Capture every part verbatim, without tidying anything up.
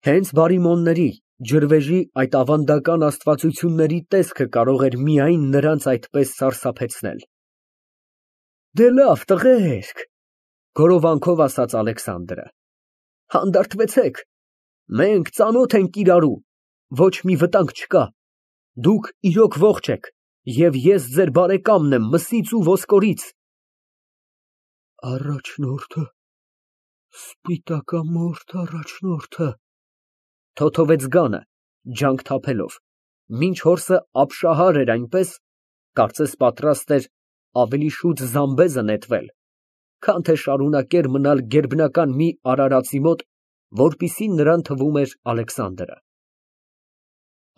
Հենց Բարիմոնների, ջրվեժի այդ ավանդական աստվածությունների տեսքը կարող էր միայն նրանց այդպես սարսափեցնել։ Դե լավ, տղերք, գորովանքով ասաց Ալեքսանդրը, հանդարտվեցեք, մենք ծանոթ ենք իրարու, ոչ մի վտանգ չկա, դուք իրոք ողջ եք, և ես ձեր բարեկամն եմ մսից ու ոսկորից։ Առաջնորդը, սպիտակամորթ առաջնորդը, թոթովեց Գանը, ջանք թափելով, մինչ հորսը ապշահար էր այնպես, կարծես պատրաստ էր ավելի շուտ զամբեզը նետվել, քան թե շարունակեր մնալ գերբնական մի արարածի մոտ, որպիսի նրան թվում էր Ալեքսանդրը։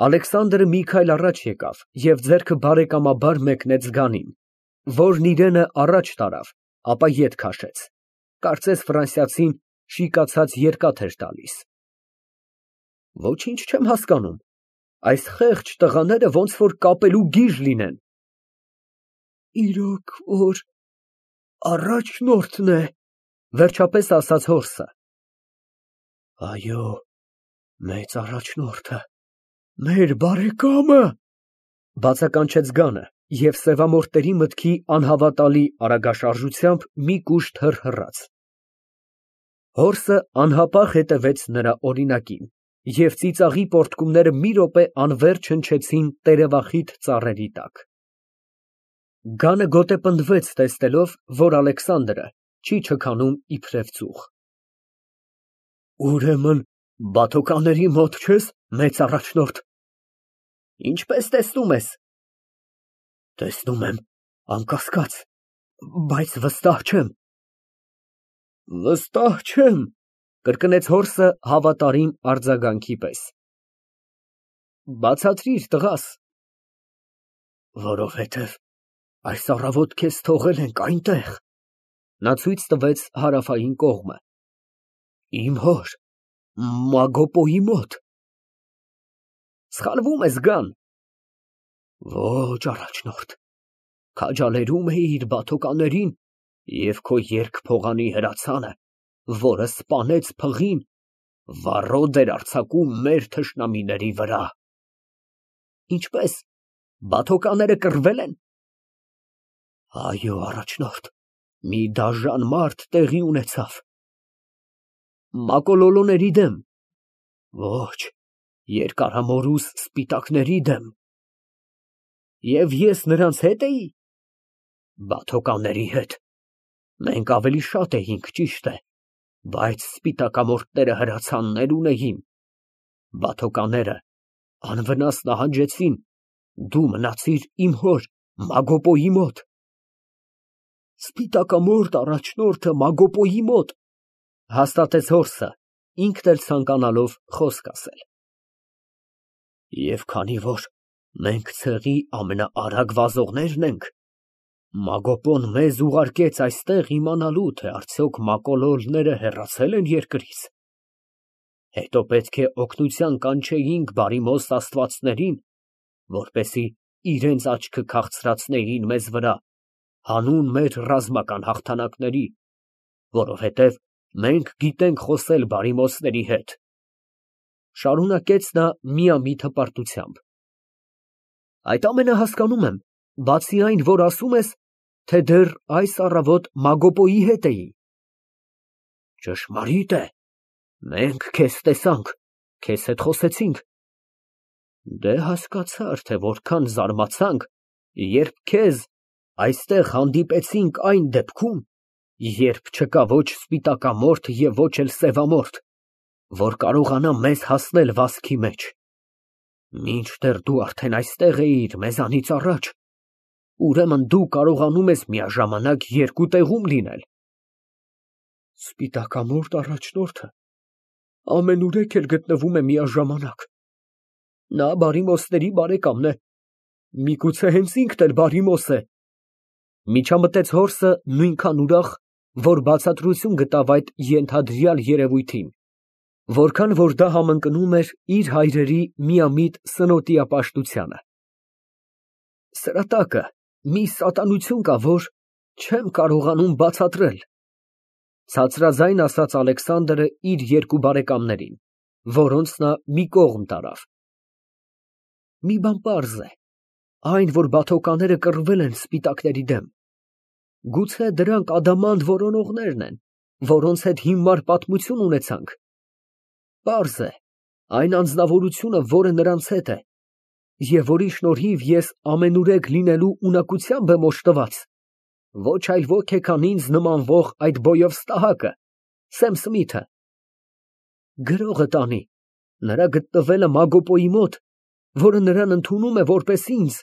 Ալեքսանդրը մի քայլ առաջ եկավ և ձեռքը բարեկամաբար մեկնեց Գանին, որն իրենը առաջ տարավ, ապա ետ քաշեց, կարծես ֆրանսիացին շիկացած երկաթ էր տալիս։ Ոչինչ չեմ հասկանում, այս խեղճ տղաները ոնց որ կապելու գիժ լինեն։ Իրոք որ առաջնորդն է, վերջապես ասաց հորսը։ Այո, մեծ առաջնորդը, մեր բարեկամը, բացականչեց Գանը և սևամորթերի մտքի անհավատալի արագաշարժությամբ մի կուշտ հռհռաց։ Հորսը անհապաղ հետևեց նրա օրինակին, և ծիծաղի պոռթկումները մի րոպե անվերջ հնչեցին տերևախիտ ծառերի տակ։ Գանը գոտեպնդվեց, տեսնելով, որ Ալեքսանդրը չի չքանում իբրև ծուխ։ Ուրեմն բաթոկաների մոտ չե՞ս, մեծ առաջնորդ։ Ինչպես տեսնում ես։ Տեսնում եմ, անկասկած, բայց վստահ չեմ։ Վստահ չեմ, կրկնեց հորսը հավատարիմ արձագանքի պես։ Բացատրիր, տղաս։ Որովհետև այս առավոտ քեզ թողել ենք այնտեղ, նա ցույց տվեց հարավային կողմը, իմ հոր Մագոպոյի մոտ։ Սխալվում ես, Գան։ Ոչ, առաջնորդ, քաջալերում էիր բաթոկաներին և քո երկփողանի հրացանը, որը սպանեց փղին, վառոդ էր արձակում մեր թշնամիների վրա։ Ինչպես, բաթոկաները կռվել են։ Այո, առաջնորդ, մի դաժան մարդ տեղի ունեցավ։ Մակոլոլոների դեմ։ Ոչ, երկարամորուս սպիտակների դեմ։ Եվ ես նրանց հետ էի։ Բաթոկանների հետ։ Մենք ավելի շատ էինք, ճիշտ է, բայց սպիտակամորթները հրացաններ ունեին։ Բաթոկանները անվնաս նահանջեցին, դու մնացիր իմ հոր Մագոպոյի մոտ։ Սպիտակամորթ առաջնորդը Մագոպոյի մոտ, հաստատեց հորսը, ինքն էլ ցանկանալով խոսք ասել։ Եվ քանի որ մենք ցեղի ամենաարագ վազողներն ենք, Մագոպոն մեզ ուղարկեց այստեղ իմանալու, թե արդյոք մակոլոլները հեռացել են երկրից։ Հետո պետք է օգնության կանչեինք բարիմոստ աստվածներին, որպեսզի իրենց աչքը քաղցրացնեին մեզ վրա, հանուն մեր ռազմական հաղթանակների, որովհետև մենք գիտենք խոսել բարիմոստների հետ, շարունակեց նա միամիտ հպարտությամբ։ Այդ ամենը հասկանում եմ, բացի այն, որ ասում ես, թե դեռ այս առավոտ Մագոպոյի հետ էի։ Ճշմարիտ է, մենք քեզ տեսանք, քեզ հետ խոսեցինք։ Դե հասկացար, թե որքան զարմացանք, երբ քեզ այստեղ հանդիպեցինք այն դեպքում, երբ չկա ոչ սպիտակամորթ և ոչ էլ սևամորթ, որ կարողանա մեզ հասնել վազքի մեջ։ Մինչդեռ դու արդեն այստեղ էիր մեզանից առաջ, ուրեմն դու կարողանում ես միաժամանակ երկու տեղում լինել։ Սպիտակամորթ առաջնորդը ամենուրեք էլ գտնվում է միաժամանակ։ Նա բարիմոստների բարեկամն է, միգուցե հենց ինքն էլ բարիմոս է։ Միջամտեց հորսը նույնքան ուրախ, որ բացատրություն գտավ այդ ենթադրյալ երևույթին, որքան որ դա համընկնում էր իր հայրերի միամիտ սնոտիապաշտությանը։ Սրա տակը մի սատանություն կա, որ չեմ կարողանում բացատրել, ցածրաձայն ասաց Ալեքսանդրը իր երկու բարեկամներին։ որոնց նա մի կողմ տարավ։ Մի բան պարզ է, այն, որ բաթոկաները կռվել են սպիտակների դեմ, գուցե դրանք ադամանդ որոնողներն են, որոնց հետ հիմար պատմություն ունեցանք։ Պարզ է, այն անձնավորությունը, որը նրանց հետ է, և որի շնորհիվ ես ամենուրեք լինելու ունակությամբ եմ օժտված, ոչ այլ ոք է, քան ինձ նմանվող այդ բոյով ստահակը, Սեմ Սմիթը։ Գրողը տանի, նրա գտնվելը Մագոպոյի մոտ, որը նրան ընդունում է որպես ինձ,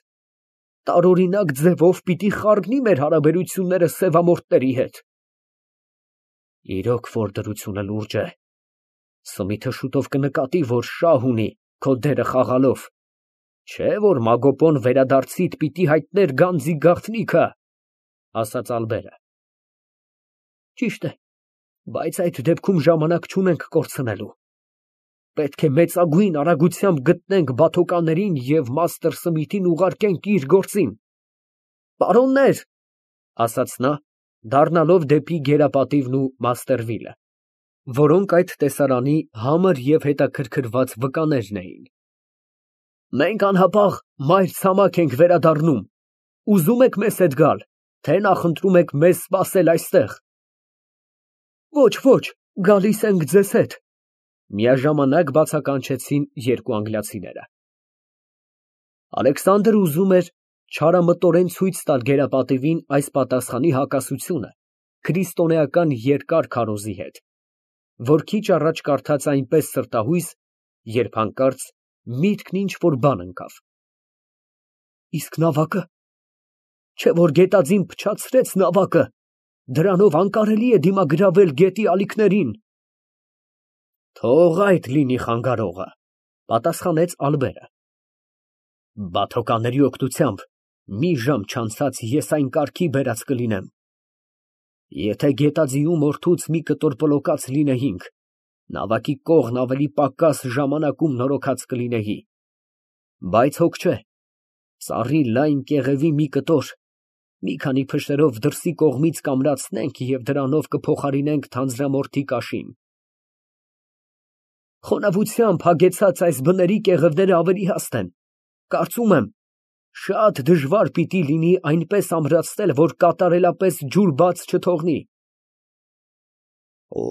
տարօրինակ ձևով պիտի խառնի մեր հարաբերությունները սևամորթների հետ։ Իրոք որ դրությունը լուրջ է, Սմիթը շուտով կնկատի, որ շահ ունի քո դերը խաղալով, չէ՞ որ Մագոպոն վերադարձիդ պիտի հայտներ գանձի գաղտնիքը, ասաց Ալբերը։ Ճիշտ է, բայց այդ դեպքում ժամանակ չունենք կորցնելու։ Պետք է մեծագույն արագությամբ գտնենք բաթոկաներին և մաստր Սմիթին ուղարկենք իր գործին։ Պարոննե՛ր, ասաց նա, դառնալով դեպի գերապատիվն ու Մաստերվիլը, որոնք այդ տեսարանի համր և հետաքրքրված վկաներն էին։ Մենք անհապաղ մայր ցամաք ենք վերադառնում, ուզում եք մեզ հետ գալ, թե նախընտրում եք մեզ սպասել այստեղ։ Ոչ, ոչ, գալիս ենք ձեզ հետ, միաժամանակ բացականչեցին երկու անգլիացիները։ Ալեքսանդրը ուզում էր չարամտորեն ցույց տալ գերապատիվին այս պատասխանի հակասությունը քրիստոնեական երկար քարոզի հետ, որ քիչ առաջ կարդաց այնպես սրտահույս, երբ հանկարծ միտքն ինչ֊որ բան ընկավ։ Իսկ նավակը, չէ՞ որ գետաձին փչացրեց նավակը, դրանով անկարելի է դիմագրավել գետի ալիքներին։ Թող այդ լինի խանգարողը, պատասխանեց Ալբերը։ Բաթոկաների օգնությամբ մի ժամ չանցած ես այն կարգի բերած կլինեմ։ Եթե գետաձիու մորթուց մի կտոր պլոկած լինեինք, նավակի կողն ավելի պակաս ժամանակում նորոգած կլինեի, բայց հոգ չէ, ծառի լայն կեղևի մի կտոր, մի քանի փշերով դրսի կողմից կամրացնենք և դրանով կփոխարինենք թանձրամորթի կաշին։ Խոնավությամբ հագեցած այս բների կեղևները ավելի հաստ են, կարծում եմ, շատ դժվար պիտի լինի այնպես ամրացնել, որ կատարելապես ջուր բաց չթողնի։ Օ,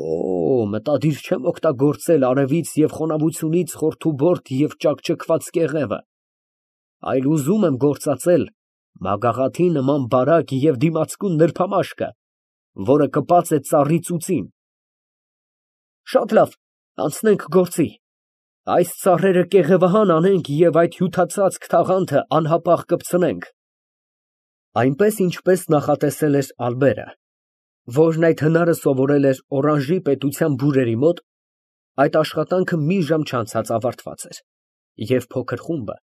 մտադիր չեմ օգտագործել արևից և խոնավությունից խորթուբորդ և ճաքճքված կեղևը, այլ ուզում եմ գործածել մագաղաթի նման բարակ և դիմացկուն նրբամաշկը, որը կպած է ծառի ծուծին։ Շատ լավ, անցնենք գործի, այս ծառերը կեղևահան անենք և այդ հյութածածկ թաղանթը անհապաղ կպցնենք։ Այնպես, ինչպես նախատեսել էր Ալբերը, որն այդ հնարը սովորել էր Օրանժի պետության բուրերի մոտ, այդ աշխատանքը մի ժամ չանցած ավարտված էր, և փոքր խումբը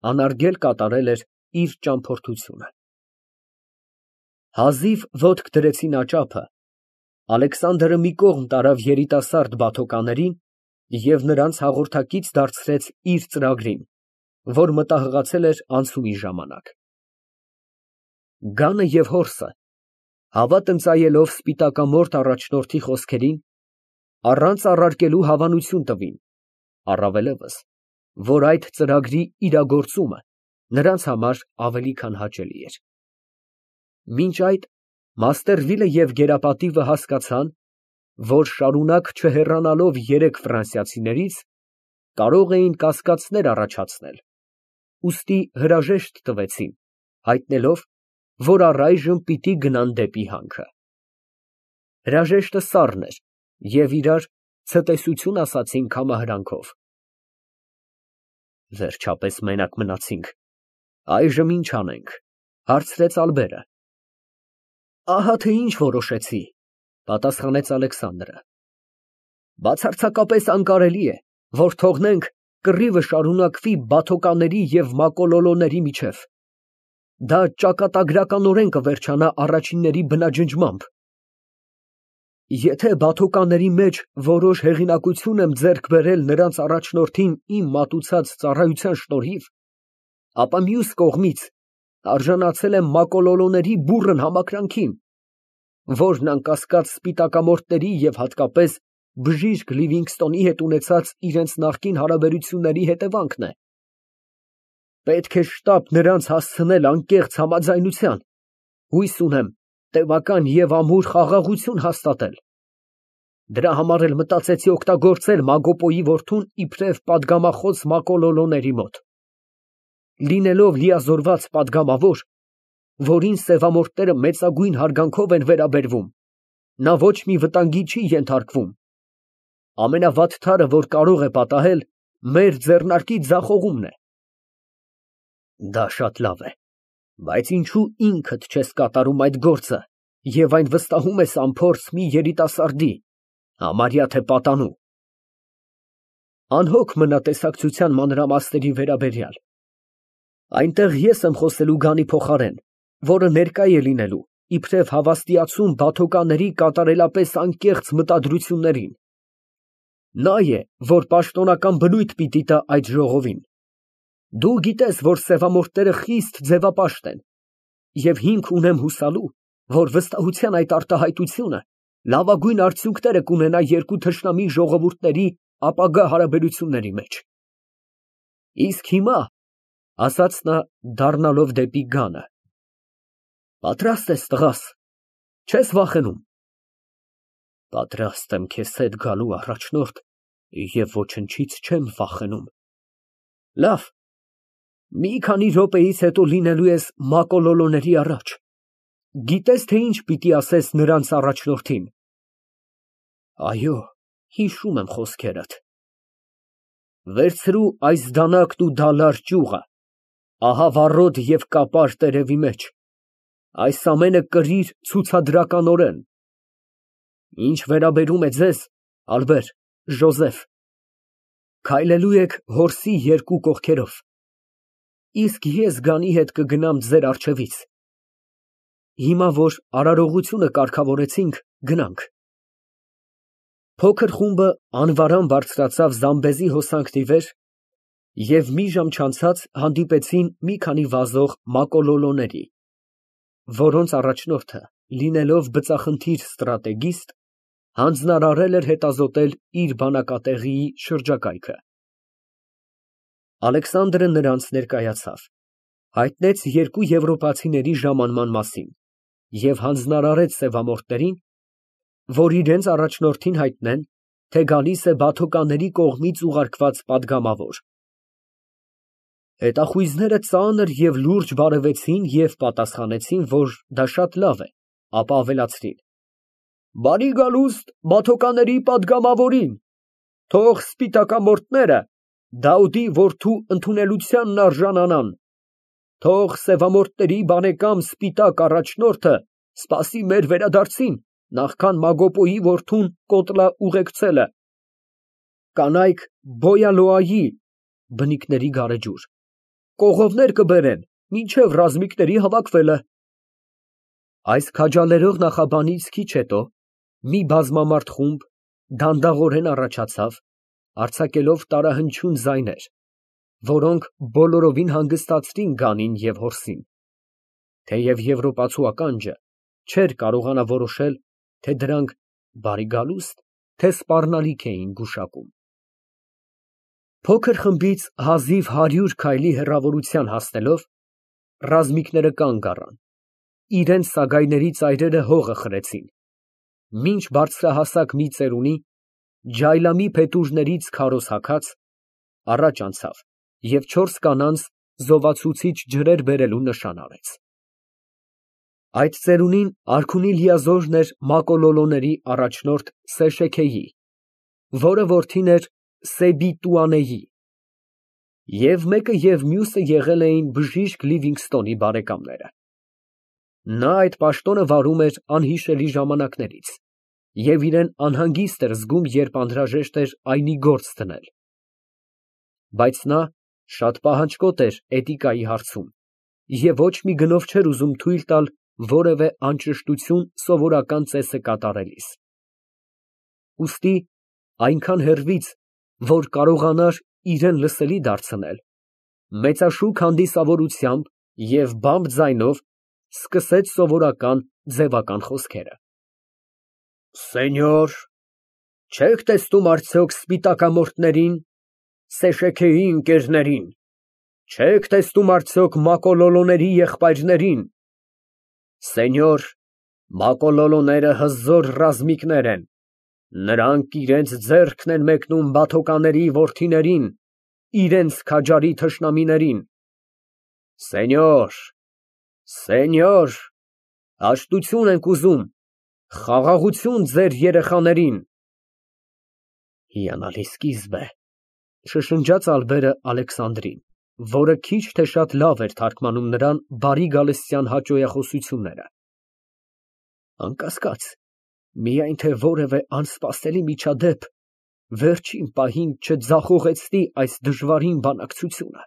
անարգել կատարել էր իր ճամփորդությունը։ Հազիվ ոտք դրեցին աճափը, Ալեքսանդրը մի կողմ տարավ երիտասարդ բաթոկաներին և նրանց հաղորդակից դարձրեց իր ծրագրին, որ մտահղացել էր անցումի ժամանակ։ Գանը և հորսը, հավատ ընծայելով սպիտակամորթ առաջնորդի խոսքերին, առանց առարկելու հավանություն տվին, առավելևս, որ այդ ծրագրի իրագործումը նրանց համար ավելի քան հաճելի էր։ Մինչ այդ Մաստերվիլը և գերապատիվը հասկացան, որ շարունակ չհեռանալով երեք ֆրանսիացիներից, կարող էին կասկածներ առաջացնել, ուստի հրաժեշտ տվեցին, հայտնելով, որ առայժմ պիտի գնան դեպի հանքը։ Հրաժեշտը սառն էր, և իրար ցտեսություն ասացին քամահրանքով։ Վերջապես մենակ մնացինք, այժմ ի՞նչ անենք, հարցրեց Ալբերը։ Ահա թե ինչ որոշեցի, պատասխանեց Ալեքսանդրը։ Բացարձակապես անկարելի է, որ թողնենք կռիվը շարունակվի բաթոկաների և մակոլոլոների միջև։ Դա ճակատագրականորեն կվերջանա առաջինների բնաջնջմամբ։ Եթե բաթոկաների մեջ որոշ հեղինակություն եմ ձեռք բերել նրանց առաջնորդին իմ մատուցած ծառայության շնորհիվ, ապա մյուս կողմից արժանացել եմ մակոլոլոների բուռն համակրանքին, որն անկասկած սպիտակամորթների և հատկապես բժիշկ Լիվինգստոնի հետ ունեցած իրենց նախկին հարաբերությունների հետևանքն է։ Պետք է շտապ նրանց հասցնել անկեղծ համաձայնության, հույս ունեմ տևական և ամուր խաղաղություն հաստատել։ Դրա համար էլ մտածեցի օգտագործել Մագոպոյի որդուն իբրև պատգամախոս Մակոլոլոների մոտ։ Լինելով լիազորված պատգամավոր, որին սևամորթները մեծագույն հարգանքով են վերաբերվում, նա ոչ մի վտանգի չի ենթարկվում, ամենավատ թարը, որ կարող է պատահել, մեր ձեռնարկի ձախողումն է։ Դա շատ լավ է, բայց ինչո՞ւ ինքդ չես կատարում այդ գործը և այն վստահում ես անփորձ մի երիտասարդի, համարյա թե պատանու։ Անհոգ մնա տեսակցության մանրամասների վերաբերյալ։ Այնտեղ ես եմ խոսելու Գանի փոխարեն, որը ներկա է լինելու, իբրև հավաստիացում բաթոկաների կատարելապես անկեղծ մտադրություններին։ Նա է, որ պաշտոնական բնույթ պիտի տա այդ ժողովին։ Դու գիտես, որ սևամորթները խիստ ձևապաշտ են, և հիմք ունեմ հուսալու, որ վստահության այդ արտահայտությունը լավագույն արդյունքները կունենա երկու թշնամի ժողովուրդների ապագա հարաբերությունների մեջ։ Իսկ հիմա, ֊ ասաց նա, դառնալով դեպի Գանը, ֊ պատրա՞ստ ես, տղաս, չես վախենում։ Պատրաստ եմ քեզ հետ գալու առաջնորդ և ոչնչից չեմ վախենում։ Լավ, մի քանի րոպեից հետո լինելու ես Մակոլոլոների առաջ, գիտե՞ս, թե ինչ պիտի ասես նրանց առաջնորդին։ Այո, հիշում եմ խոսքերդ։ Վերցրու այս դանակն ու դալար ճյուղը, ահա վառոդ և կապար տերևի մեջ, այս ամենը կրիր ցուցադրականորեն։ Ինչ վերաբերում է ձեզ, Ալբեր, Ժոզեֆ, քայլելու եք հորսի երկու կողքերով, իսկ ես Գանի հետ կգնամ ձեր առջևից։ Հիմա, որ արարողությունը կարգավորեցինք, գնանք։ Փոքր խումբը անվարան բարձրացավ Զամբեզի հոսանքների վեր և մի ժամ չանցած հանդիպեցին մի քանի վազող Մակոլոլոների, որոնց առաջնորդը, լինելով բծախնդիր ստրատեգիստ, հանձնարարել էր հետազոտել իր բանակատեղիի շրջակայքը։ Ալեքսանդրը նրանց ներկայացավ, հայտնեց երկու եվրոպացիների ժամանման մասին և հանձնարարեց սևամորթներին, որ իրենց առաջնորդին հայտնեն, թե գալիս է բաթոկաների կողմից ուղարկված պատգամավոր։ Հետախույզները ծանր և լուրջ բարևեցին և պատասխանեցին, որ դա շատ լավ է, ապա ավելացրին. Բարի գալուստ բաթոկաների պատգամավորին, թող սպիտակամորթները Դավուդի որդու ընդունելությանն արժանանան, թող սևամորթների բարեկամ սպիտակ առաջնորդը սպասի մեր վերադարձին, նախքան Մագոպոյի որդուն կոտլա ուղեկցելը։ Կանայք Բոյալոայի (բնիկների գարեջուր) կողովներ կբերեն, մինչև ռազմիկների հավաքվելը։ Այս քաջալերող նախաբանից քիչ հետո մի բազմամարդ խումբ դանդաղորեն առաջացավ, արձակելով տարահնչյուն ձայներ, որոնք բոլորովին հանգստացրին Գանին և հորսին, թեև եվրոպացու ականջը չէր կարողանա որոշել, թե դրանք բարի գալուստ, թե սպառնալիք էին գուշակում։ Փոքր խմբից հազիվ հարյուր քայլի հեռավորության հասնելով, ռազմիկները կանգ առան, իրենց սագայների ծայրերը հողը խրեցին, մինչ բարձրահասակ մի ծերունի, ջայլամի փետուրներից քարոզ հագած, առաջ անցավ և չորս կանանց զովացուցիչ ջրեր բերելու նշան արեց։ Այդ ծերունին արքունի լիազորն էր Մակոլոլոների առաջնորդ Սեշեքեյի, որը որդին էր Սեբիտուանեի, և մեկը և մյուսը եղել էին բժիշկ Լիվինգստոնի բարեկամները։ Նա այդ պաշտոնը վարում էր անհիշելի ժամանակներից և իրեն անհանգիստ էր զգում, երբ անհրաժեշտ էր այնի գործ դնել։ Բայց նա շատ պահանջկոտ էր էտիկայի հարցում և ոչ մի գնով չէր ուզում թույլ տալ որևէ անճշտություն սովորական ծեսը կատարելիս։ Ուստի այնքան հեռվից, որ կարողանար իրան լսելի դարձնել, մեծաշուք հանդիսավորությամբ և բամբ ձայնով սկսեց սովորական ձևական խոսքերը. Սենյոր, Չեք տեսնում արդյոք սպիտակամորթներին, Սեշեքեի ընկերներին, չեք տեսնում արդյոք Մակոլոլոների եղբայրներին։ Սենյոր, Մակոլոլոները հզոր ռազմիկներ են, նրանք իրանց ձեռքն են մեկնում բաթոկանների որդիներին, իրենց քաջարի թշնամիներին։ Սենյոր, սենյոր, հաշտություն ենք ուզում, խաղաղություն ձեր երեխաներին։ Հիանալի սկիզբ է, շշնջաց Ալբերը Ալեքսանդրին, որը քիչ թե շատ լավ էր թարգմանում նրան բարի գալստյան հաճոյախոսությունները։ Անկասկած, միայն թե որևէ անսպասելի միջադեպ վերջին պահին չձախողեցնի այս դժվարին բանակցությունը։